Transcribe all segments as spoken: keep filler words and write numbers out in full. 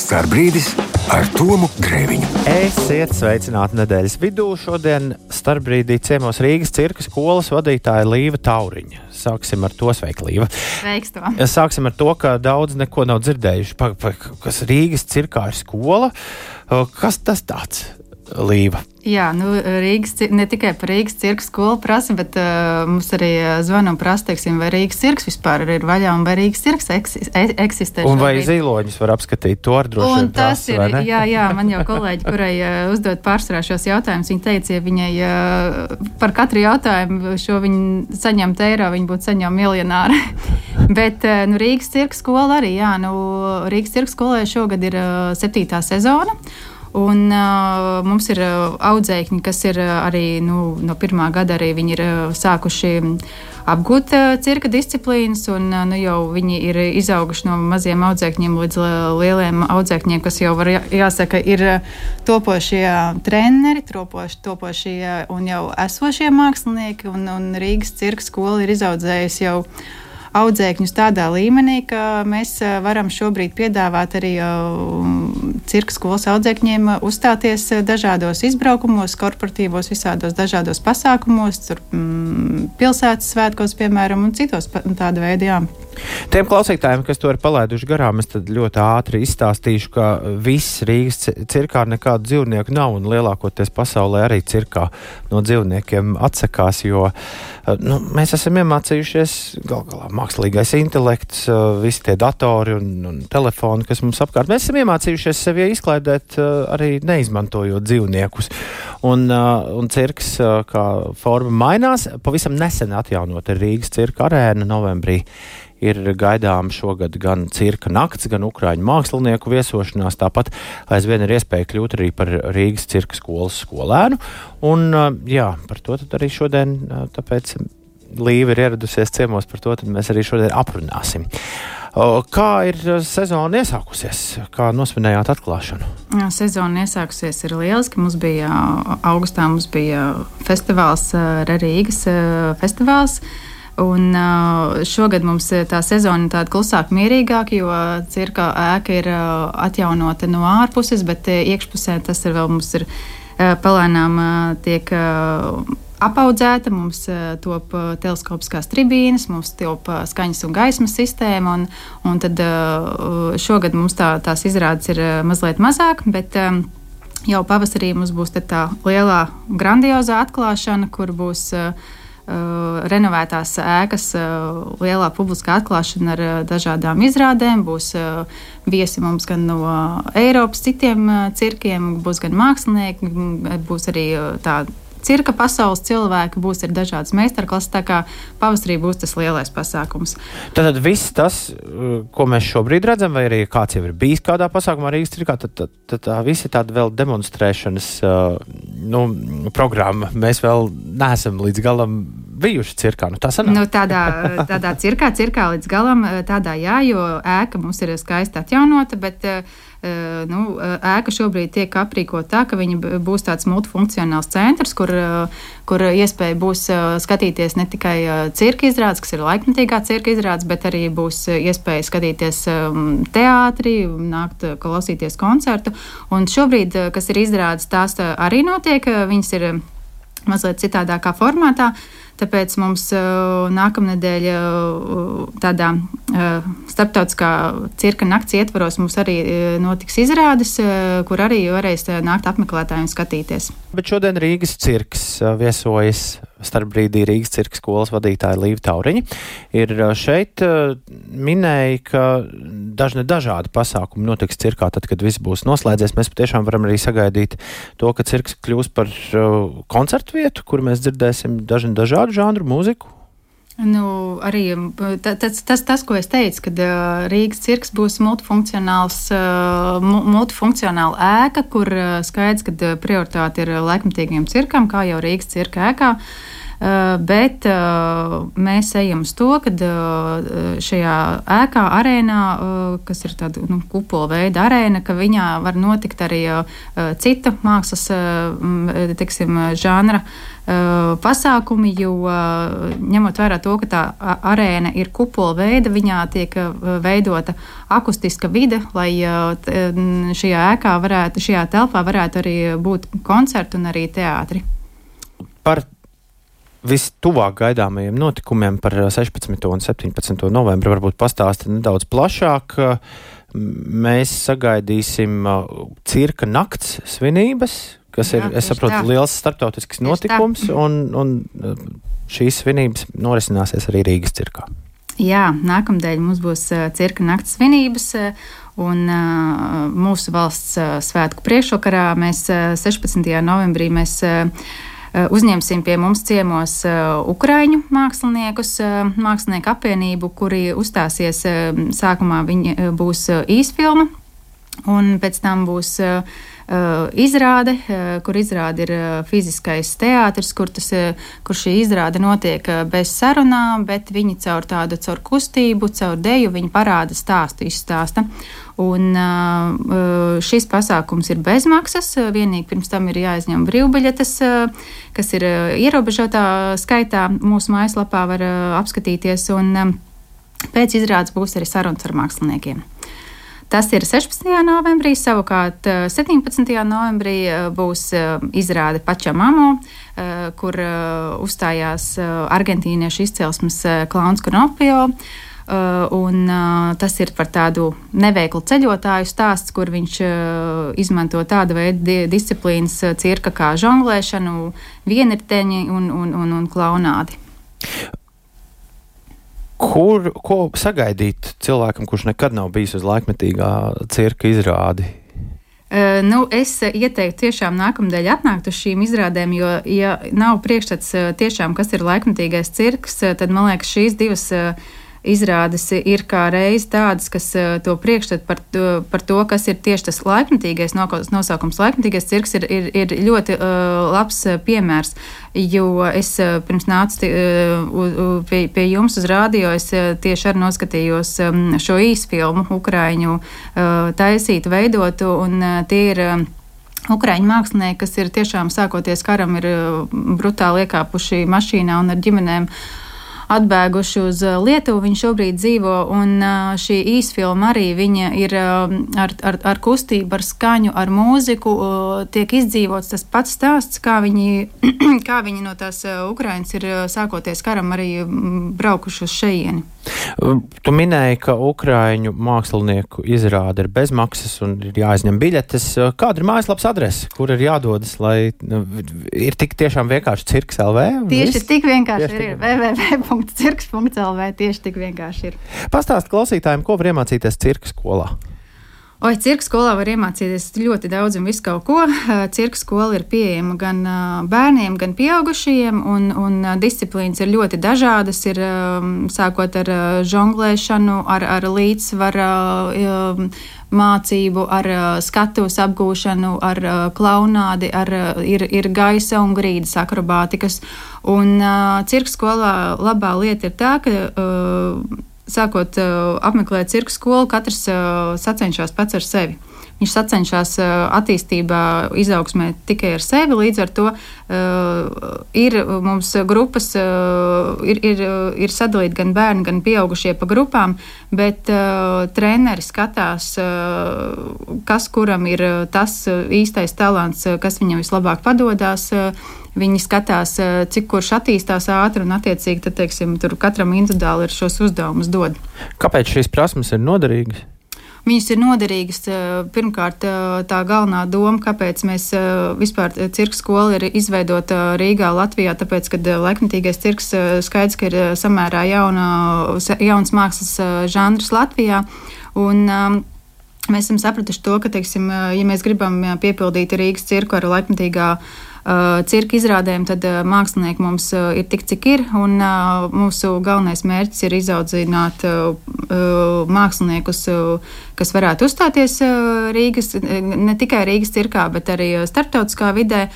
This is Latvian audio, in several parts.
Starbrīdis ar Tomu Grēviņu. Esiet sveicināti nedēļas vidū. Šodien starpbrīdī ciemos Rīgas cirka skolas vadītāja Līva Tauriņa. Sāksim ar to. Sveika, Līva. Sveiks, to. Sāksim ar to, ka daudz neko nav dzirdējuši. Pa, pa, kas Rīgas cirkā ir skola? Kas tas tāds, Līva? Jā, nu, Rīgas, ne tikai par Rīgas cirka skolu prasa, bet uh, mums arī zvana un prasa, teiksim, vai Rīgas cirks vispār ir vaļā un vai Rīgas cirks eksistē. Un vai zīloņus var apskatīt, to ar droši vien prasa, vai ne? Jā, jā, man jau kolēģi, kurai uh, uzdot pārsvarā šos jautājumus, viņi teica, ja viņai uh, par katru jautājumu šo viņi saņemt eiro, viņi būtu saņem miljonāri. Bet uh, nu, Rīgas cirka skola arī, jā, nu, Rīgas cirka skolai šogad ir uh, septītā sezona. Un uh, mums ir uh, audzēkņi, kas ir uh, arī nu, no pirmā gada arī viņi ir uh, sākuši apgūt uh, cirka disciplīnas, un uh, nu, jau viņi ir izauguši no maziem audzēkņiem līdz uh, lieliem audzēkņiem, kas jau var jāsaka ir uh, topošie treneri, topoši, topošie un jau esošie mākslinieki, un, un Rīgas cirka skola ir izaudzējusi jau audzēkņus tādā līmenī, ka mēs varam šobrīd piedāvāt arī cirka skolas audzēkņiem uzstāties dažādos izbraukumos, korporatīvos, visādos dažādos pasākumos, tur, mm, pilsētas svētkos, piemēram, un citos tāda veida, jā. Tiem klausītājiem, kas to ir palaiduši garām, es tad ļoti ātri izstāstīšu, ka viss Rīgas cirkā nekādu dzīvnieku nav, un lielākoties pasaulē arī cirkā no dzīvniekiem atsakās, jo nu, mēs esam iemācījušies gal galā mākslīgais intelekts, visi tie datori un, un telefoni, kas mums apkārt. Mēs esam iemācījušies sevi izklaidēt arī neizmantojot dzīvniekus. Un, un cirks kā forma mainās. Pavisam nesen atjaunot Rīgas cirka arēna novembrī. Ir gaidām šogad gan cirka nakts, gan ukraiņu mākslinieku viesošanās. Tāpat aizvien ir iespēja kļūt arī par Rīgas cirka skolas skolēnu. Un jā, par to tad arī šodien, tāpēc Līva ir ieradusies ciemos, par to tad mēs arī šodien aprunāsim. Kā ir sezona iesākusies? Kā nosvinējāt atklāšanu? Jā, sezona iesākusies ir lieliski. Mums bija augustā mums bija festivāls, Rīgas festivāls. Un šogad mums tā sezona ir tāda klusāk, mierīgāk, jo cirka ēka ir atjaunota no ārpuses, bet iekšpusē tas ir vēl mums ir palēnām tiek apaudzēta, mums top teleskopiskās tribīnes, mums top skaņas un gaismas sistēma, un, un tad šogad mums tā, tās izrādes ir mazliet mazāk, bet jau pavasarī mums būs tā lielā grandiozā atklāšana, kur būs Uh, renovētās ēkas uh, lielā publiskā atklāšana ar uh, dažādām izrādēm. Būs uh, viesi mums gan no uh, Eiropas citiem uh, cirkiem, būs gan mākslinieki, būs arī uh, tā cirka pasaules cilvēki, būs arī dažādas meistarklases, tā kā pavasarī būs tas lielais pasākums. Tad viss tas, ko mēs šobrīd redzam, vai arī kāds jau ir bijis kādā pasākumā Rīgas cirkā, tad, tad, tad tā visi tāda vēl demonstrēšanas nu, programma. Mēs vēl neesam līdz galam bijuši cirkā. Nu, tā sanāk. Nu, tādā, tādā cirkā, cirkā līdz galam, tādā jā, jo ēka mums ir skaisti atjaunota, bet nu, ēka šobrīd tiek aprīkota tā, ka viņa būs tāds multifunkcionāls centrs, kur, kur iespēja būs skatīties ne tikai cirka izrādes, kas ir laikmetīgā cirka izrādes, bet arī būs iespēja skatīties teātrī, nākt klausīties koncertu. Un šobrīd, kas ir izrādes, tās arī notiek, viņas ir mazliet citādākā formātā. Tāpēc mums uh, nākamnedēļ uh, tādā uh, starptautiskā cirka nakts ietvaros mums arī uh, notiks izrādes, uh, kur arī varēs uh, nākt apmeklētāji un skatīties. Bet šodien Rīgas cirks uh, viesojas starpbrīdī Rīgas cirka skolas vadītāja Līva Tauriņa. Ir uh, šeit uh, minēja, ka dažne dažādi pasākumi notiks cirkā, tad, kad viss būs noslēdzies. Mēs patiešām varam arī sagaidīt to, ka cirks kļūs par uh, koncertu vietu, kur mēs dzirdēsim dažni dažādi žanru mūziku? Nu, arī tas, tas, tas, ko es teicu, kad uh, Rīgas cirks būs multifunkcionāls, uh, multifunkcionāla ēka, kur uh, skaidrs, ka prioritāte ir laikmetīgiem cirkam, kā jau Rīgas cirka ēkā. bet mēs ejam uz to, ka šajā ēkā, arēnā, kas ir tāda nu, kupola veida arēna, ka viņā var notikt arī cita mākslas, teiksim, žanra pasākumi, jo ņemot vērā to, ka tā arēna ir kupola veida, viņā tiek veidota akustiska vide, lai šajā ēkā varētu, šajā telpā varētu arī būt koncerti un arī teātri. Par vistuvāk gaidāmajiem notikumiem par sešpadsmito un septiņpadsmito novembru varbūt pastāsti nedaudz plašāk. Mēs sagaidīsim cirka nakts svinības, kas ir, Jā, es saprotu, tā. liels starptautisks notikums, un, un šīs svinības norisināsies arī Rīgas cirkā. Jā, nākamdēļ mums būs cirka nakts svinības, un uh, mūsu valsts uh, svētku priekšvakarā mēs uh, sešpadsmitajā novembrī mēs uh, uzņemsim pie mums ciemos uh, ukraiņu māksliniekus, uh, mākslinieku apvienību, kuri uzstāsies, uh, sākumā viņi uh, būs uh, īsfilma, un pēc tam būs uh, Uh, izrāde, uh, kur izrāde ir uh, fiziskais teātris, kur, tas, uh, kur šī izrāde notiek uh, bez sarunām, bet viņi caur tādu, caur kustību, caur deju, viņi parāda stāstu, izstāsta. Un uh, šis pasākums ir bezmaksas, uh, vienīgi pirms tam ir jāizņem brīvbiļetes, uh, kas ir uh, ierobežotā skaitā, mūsu mājaslapā var uh, apskatīties, un um, pēc izrādes būs arī sarunas ar māksliniekiem. Tas ir sešpadsmitajā novembrī, savukārt septiņpadsmitajā novembrī būs izrāde Pačamamo, kur uzstājās argentīniešu izcelsmes klauns Konopio. Un tas ir par tādu neveiklu ceļotāju stāsts, kur viņš izmanto tādu veidu disciplīnas cirka kā žonglēšanu, vienirteņi un, un, un, un klaunādi. Kur, ko sagaidīt cilvēkam, kurš nekad nav bijis uz laikmetīgā cirka izrādi? Uh, nu, es ieteiktu tiešām nākamdēļ atnākt uz šīm izrādēm, jo, ja nav priekšstats tiešām, kas ir laikmetīgais cirks, tad, man liekas, šīs divas uh, izrādes ir kā reiz tādas, kas uh, to priekšstat par, to, par to, kas ir tieši tas laikmetīgais nosaukums. Laikmetīgais cirks ir, ir, ir ļoti uh, labs piemērs, jo es uh, pirms nācu uh, pie, pie jums uz rādio, es uh, tieši arī noskatījos um, šo īsfilmu Ukraiņu uh, taisītu, veidotu, un uh, tie ir uh, Ukraiņu mākslinieki, kas ir tiešām sākoties karam, ir uh, brutāli iekāpuši mašīnā un ar ģimenēm atbēguši uz Lietuvu. Viņi šobrīd dzīvo, un šī īsfilma arī viņa ir ar, ar, ar kustību, ar skaņu, ar mūziku, tiek izdzīvots tas pats stāsts, kā viņi, kā viņi no tās Ukrainas ir sākoties karam arī braukuši uz šejieni. Tu minēji, ka Ukraiņu mākslinieku izrāde ir bezmaksas un ir jāizņem biļetes. Kāda ir mājaslapas adrese, kur ir jādodas, lai ir tik tiešām vienkārši cirks L V? Tieši tik vienkārši tieši ir, ir. w w w punkts cirks punkts l v tieši tik vienkārši ir. Pastāst klausītājiem, ko var iemācīties cirka skolā? Oi, cirka skolā var iemācīties ļoti daudz un visu kaut ko. Cirka skola ir pieejama gan bērniem, gan pieaugušajiem, un, un disciplīnas ir ļoti dažādas. Ir sākot ar žonglēšanu, ar, ar līdzsvara mācību, ar skatuves apgūšanu, ar klaunādi, ar, ir, ir gaisa un grīdas akrobātikas. Un cirka skolā labā lieta ir tā, ka sākot uh, apmeklēt cirka skolu, katrs uh, sacenšas pats ar sevi. Viņš sacenšas uh, attīstībā, izaugsmē tikai ar sevi, līdz ar to uh, ir mums grupas, uh, ir, ir, ir sadalīti gan bērni, gan pieaugušie pa grupām, bet uh, treneri skatās, uh, kas kuram ir tas īstais talants, kas viņam vislabāk padodās. Uh, Viņi skatās, cik kurš attīstās ātri, un attiecīgi tad, teiksim, tur katram individuāli ir šos uzdevumus dod. Kāpēc šīs prasmes ir noderīgas? Viņas ir noderīgas. Pirmkārt, tā galvenā doma, kāpēc mēs vispār cirka skola ir izveidota Rīgā, Latvijā, tāpēc, kad laikmetīgais cirks skaidrs, ka ir samērā jauna, jauns mākslas žanrs Latvijā. Un, mēs esam sapratuši to, ka, teiksim, ja mēs gribam piepildīt Rīgas cirku ar laikmetīgā Uh, cirka izrādēm, tad uh, mākslinieki mums uh, ir tik, cik ir, un uh, mūsu galvenais mērķis ir izaudzināt uh, uh, māksliniekus, uh, kas varētu uzstāties uh, Rīgas, ne tikai Rīgas cirkā, bet arī starptautiskā vidē.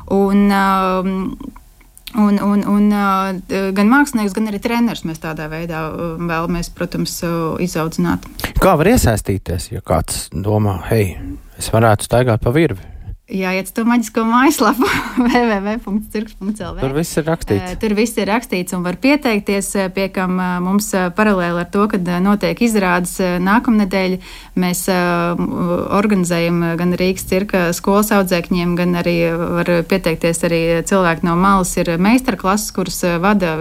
Un, uh, Un, un, un gan mākslinieks, gan arī treneris mēs tādā veidā vēlamies, protams, izaudzināt. Kā var iesaistīties, ja kāds domā, hei, es varētu staigāt pa virvi? Jāiet uz to maģisko mājaslapu w w w punkts cirks punkts l v. Tur viss ir rakstīts. Tur viss ir rakstīts un var pieteikties, pie kam mums paralēli ar to, kad notiek izrādes nākamnedēļ, mēs organizējam gan Rīgas cirka skolas audzēkņiem, gan arī var pieteikties arī cilvēki no malas, ir meistarklases, kuras vada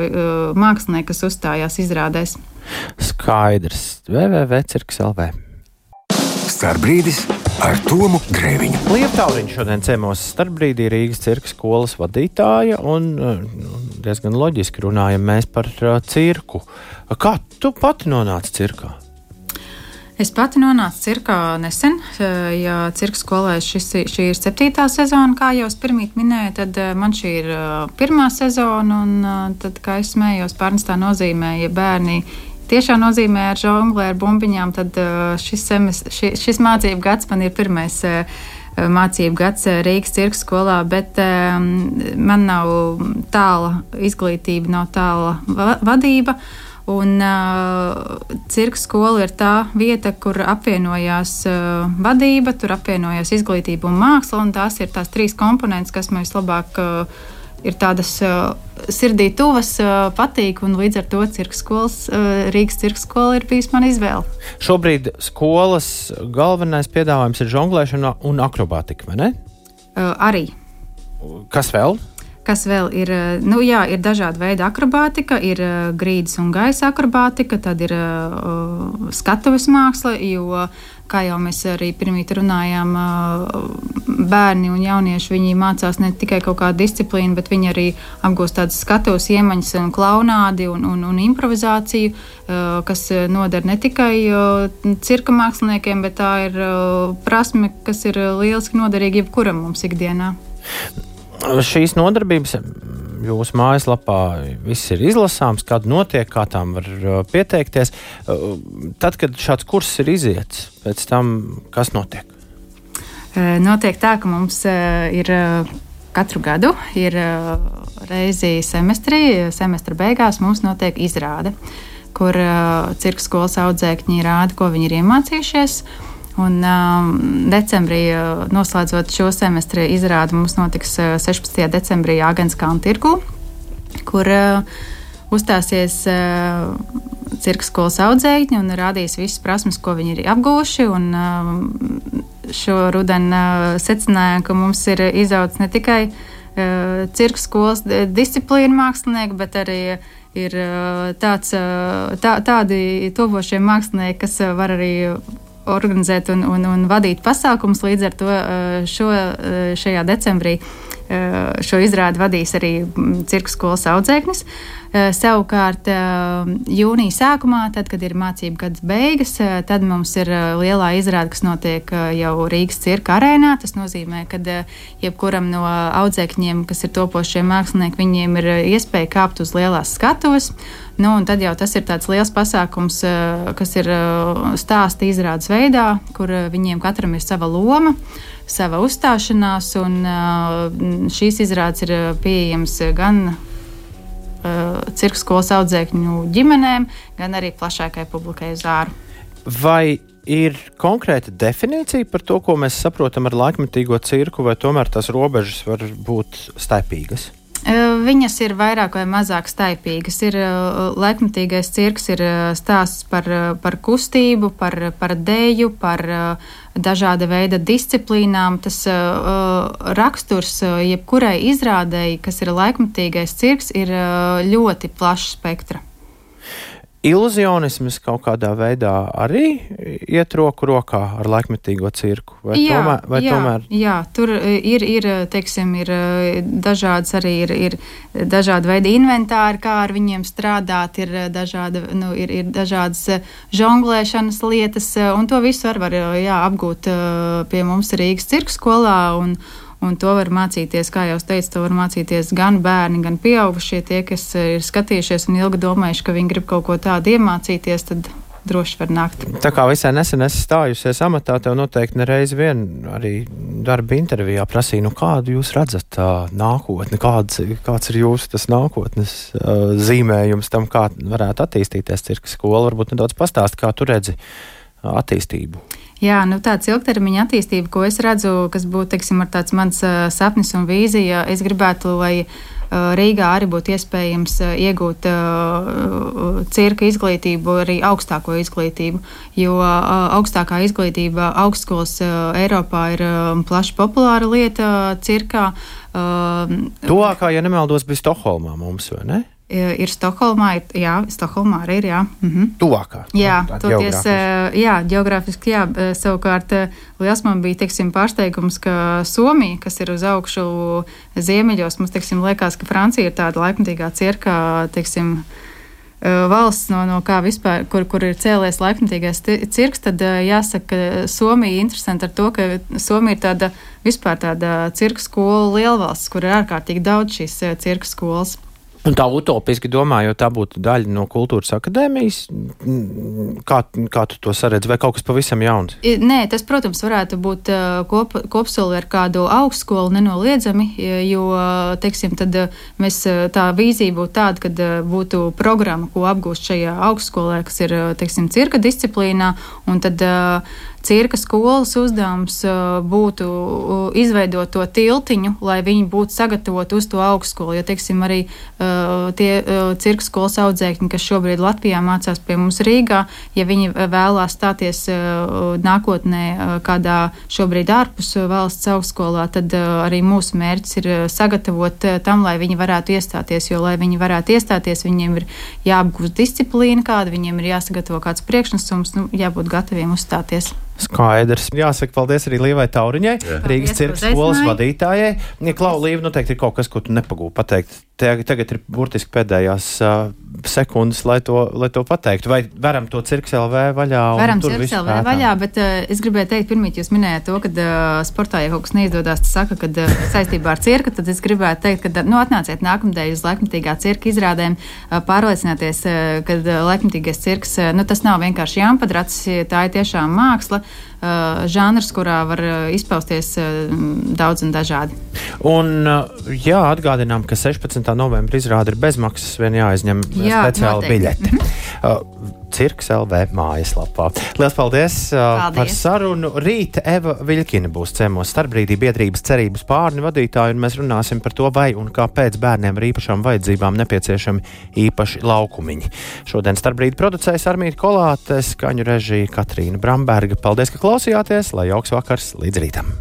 mākslinieki, kas uzstājās izrādēs. Skaidrs. w w w punkts cirks punkts l v. Starpbrīdis ar Tomu Grēviņu. Lieva Tauriņš šodien ciemos Starpbrīdī Rīgas cirka skolas vadītāja un diezgan loģiski runājam mēs par cirku. Kā tu pati nonāci cirkā? Es pati nonācu cirkā nesen, ja cirka skolē šis, šī ir septītā sezona, kā jau es pirmīt minēju, tad man šī ir pirmā sezona, un tad, kā es smējos, pārnestā nozīmē, ja bērni tiešām nozīmē ar žonglē, ar bumbiņām, tad šis, semes, šis, šis mācību gads man ir pirmais mācību gads Rīgas cirka skolā, bet um, man nav tāla izglītība, nav tāla va- vadība, un uh, cirka skola ir tā vieta, kur apvienojās uh, vadība, tur apvienojās izglītība un māksla, un tās ir tās trīs komponentes, kas man vislabāk uh, ir tādas uh, sirdī tuvas, uh, patīk, un līdz ar to cirka skolas, uh, Rīgas cirka skola ir bijis mana izvēle. Šobrīd skolas galvenais piedāvājums ir žonglēšana un akrobātika, vai ne? Uh, arī. Kas vēl? Kas vēl ir? Nu, jā, ir dažādi veidi akrobātika, ir uh, grīdas un gaisa akrobātika, tad ir uh, skatuves māksla, jo, kā jau mēs arī pirmīt runājām, uh, bērni un jaunieši, viņi mācās ne tikai kaut kādu disciplīnu, bet viņi arī apgūst tādas skatuves iemaņas un klaunādi un, un, un improvizāciju, uh, kas noder ne tikai uh, cirka māksliniekiem, bet tā ir uh, prasme, kas ir lieliski noderīga jebkuram mums ikdienā. Šīs nodarbības jūsu mājaslapā viss ir izlasāms, kad notiek, kā tām var pieteikties. Tad, kad šāds kurs ir iziets, pēc tam kas notiek? Notiek tā, ka mums ir katru gadu ir reizi semestrī, semestra beigās mums notiek izrāde, kur cirka skolas audzēkņi rāda, ko viņi ir iemācījušies. Un um, decembrī, uh, noslēdzot šo semestri izrādi, mums notiks uh, sešpadsmitajā decembrī Āgenskalna tirgū, kur uh, uzstāsies uh, cirka skolas audzēkņi un rādīs visas prasmes, ko viņi ir apguvuši. Un, uh, šo rudeni uh, secināja, ka mums ir izaudzis ne tikai uh, cirka skolas disciplīna mākslinieki, bet arī ir uh, tāds, uh, tā, tādi topošie mākslinieki, kas uh, var arī organizēt un, un, un vadīt pasākumus. Līdz ar to šo, šajā decembrī šo izrādi vadīs arī cirka skolas audzēknis. Savukārt jūnija sākumā, tad, kad ir mācību gads beigas, tad mums ir lielā izrāde, kas notiek jau Rīgas cirka arēnā. Tas nozīmē, ka jebkuram no audzēkņiem, kas ir topošie mākslinieki, viņiem ir iespēja kāpt uz lielās skatuves. Nu, un tad jau tas ir tāds liels pasākums, kas ir stāsta izrādes veidā, kur viņiem katram ir sava loma, sava uzstāšanās, un šīs izrādes ir pieejams gan cirka skolas audzēkņu ģimenēm, gan arī plašākai publikai uz āru. Vai ir konkrēta definīcija par to, ko mēs saprotam ar laikmetīgo cirku, vai tomēr tās robežas var būt staipīgas? Viņas ir vairāk vai mazāk staipīgas. Ir laikmetīgais cirks, ir stāsts par, par kustību, par, par deju, par dažāda veida disciplīnām. Tas uh, raksturs jebkurai izrādēji, kas ir laikmetīgais cirks, ir ļoti plašs spektra. Iluzionisms kaut kādā veidā arī iet roku rokā ar laikmetīgo cirku? Vai jā, tomēr, vai jā, tomēr? jā, tur ir, ir, teiksim, ir dažādas arī ir, ir dažādi veidi inventāri, kā ar viņiem strādāt, ir, dažāda, nu, ir, ir dažādas žonglēšanas lietas, un to visu var, var jā, apgūt pie mums Rīgas cirka skolā, un Un to var mācīties, kā jau es teicu, to var mācīties gan bērni, gan pieaugušie. Tie, kas ir skatījušies un ilgi domājuši, ka viņi grib kaut ko tādu iemācīties, tad droši var nākt. Tā kā visai nesen esi stājusies amatā, tev noteikti nereiz vien arī darba intervijā prasīja, nu kādu jūs redzat uh, nākotni, kāds, kāds ir jūsu tas nākotnes uh, zīmējums tam, kā varētu attīstīties cirka skola. Varbūt nedaudz pastāst, kā tu redzi uh, attīstību. Jā, nu tāds ilgtermiņa attīstība, ko es redzu, kas būtu, teiksim, ar tāds mans uh, sapnis un vīzija, es gribētu, lai Rīgā arī būtu iespējams iegūt uh, cirka izglītību, arī augstāko izglītību, jo uh, augstākā izglītība augstskolas uh, Eiropā ir uh, plaši populāra lieta cirkā. Uh, Tuvākā, ja nemaldos, bija Stokholmā mums, vai ne? Ir Stokholmā, ir, jā, Stokholmā arī ir, jā. Mhm. Tuvākā. Jā, nu, toties, jā, geogrāfiski, jā, savukārt liels man bija, teiksim, pārsteigums, ka Somija, kas ir uz augšu ziemeļos, mums, teiksim, liekas, ka Francija ir tāda laikmatīgā cirka, teiksim, valsts, no, no kā vispār, kur, kur ir cēlies laikmatīgais cirks, tad jāsaka, ka Somija interesanti ar to, ka Somija ir tāda vispār tāda cirka skola lielvalsts, kur ir ārkārtīgi daudz šīs cirka skolas. Un tā utopiski domājot, tā būtu daļa no kultūras akadēmijas, kā, kā tu to saredzi, vai kaut kas pavisam jauns? Nē, tas, protams, varētu būt kop, kopsoli ar kādu augstskolu nenoliedzami, jo, teiksim, tad mēs tā vīzija būtu tāda, kad būtu programma, ko apgūst šajā augstskolē, kas ir, teiksim, cirka disciplīnā, un tad cirka skolas uzdevums būtu izveidot to tiltiņu, lai viņi būtu sagatavoti uz to augstskolu, jo, teiksim, arī uh, tie uh, cirka skolas audzēkņi, kas šobrīd Latvijā mācās pie mums Rīgā, ja viņi vēlās stāties uh, nākotnē uh, kādā šobrīd ārpus valsts augstskolā, tad uh, arī mūsu mērķis ir sagatavot uh, tam, lai viņi varētu iestāties, jo, lai viņi varētu iestāties, viņiem ir jāapgūst disciplīna kāda, viņiem ir jāsagatavo kāds priekšnesums, nu, jābūt gataviem uzstāties. Skaidrs. Jāsaka paldies arī Līvai Tauriņai, Jā. Rīgas cirka skolas vadītājai. Ja, Klau, Līva, noteikti ir kaut kas, ko tu nepagūvi pateikt. Tagad ir burtiski pēdējās uh, sekundes, lai to, lai to pateiktu. Vai varam to Cirks L V vaļā? Varam Cirks L V vaļā, bet uh, es gribēju teikt, pirmīt jūs minējāt to, ka uh, sportā, ja kaut kas neizdodas, tas saka, ka uh, saistībā ar cirku, tad es gribētu teikt, ka nu, atnāciet nākamdēļ uz laikmatīgā cirka izrādēm, uh, pārliecināties, uh, ka uh, laikmatīgais cirks, uh, nu, tas nav vienkārši jāmpadrats, tā ir tiešām māksla. Uh, žanrs, kurā var uh, izpausties uh, daudz un dažādi. Un, uh, jā, atgādinām, ka sešpadsmitā novembra izrāde ir bezmaksas, vien jāizņem jā, speciāla noteikti. Biļete. Mm-hmm. uh, Cirks L V mājaslapā. Lielas paldies, uh, paldies par sarunu. Rīt Eva Viļkina būs ciemos Starpbrīdī biedrības cerības pārni vadītāju, un mēs runāsim par to, vai un kāpēc bērniem ar īpašām vajadzībām nepieciešami īpaši laukumiņi. Šodien Starpbrīdi producējas Armīta Kolāte, skaņu režija Katrīna Bramberga. Paldies, ka klausījāties, lai jauks vakars līdz rītam!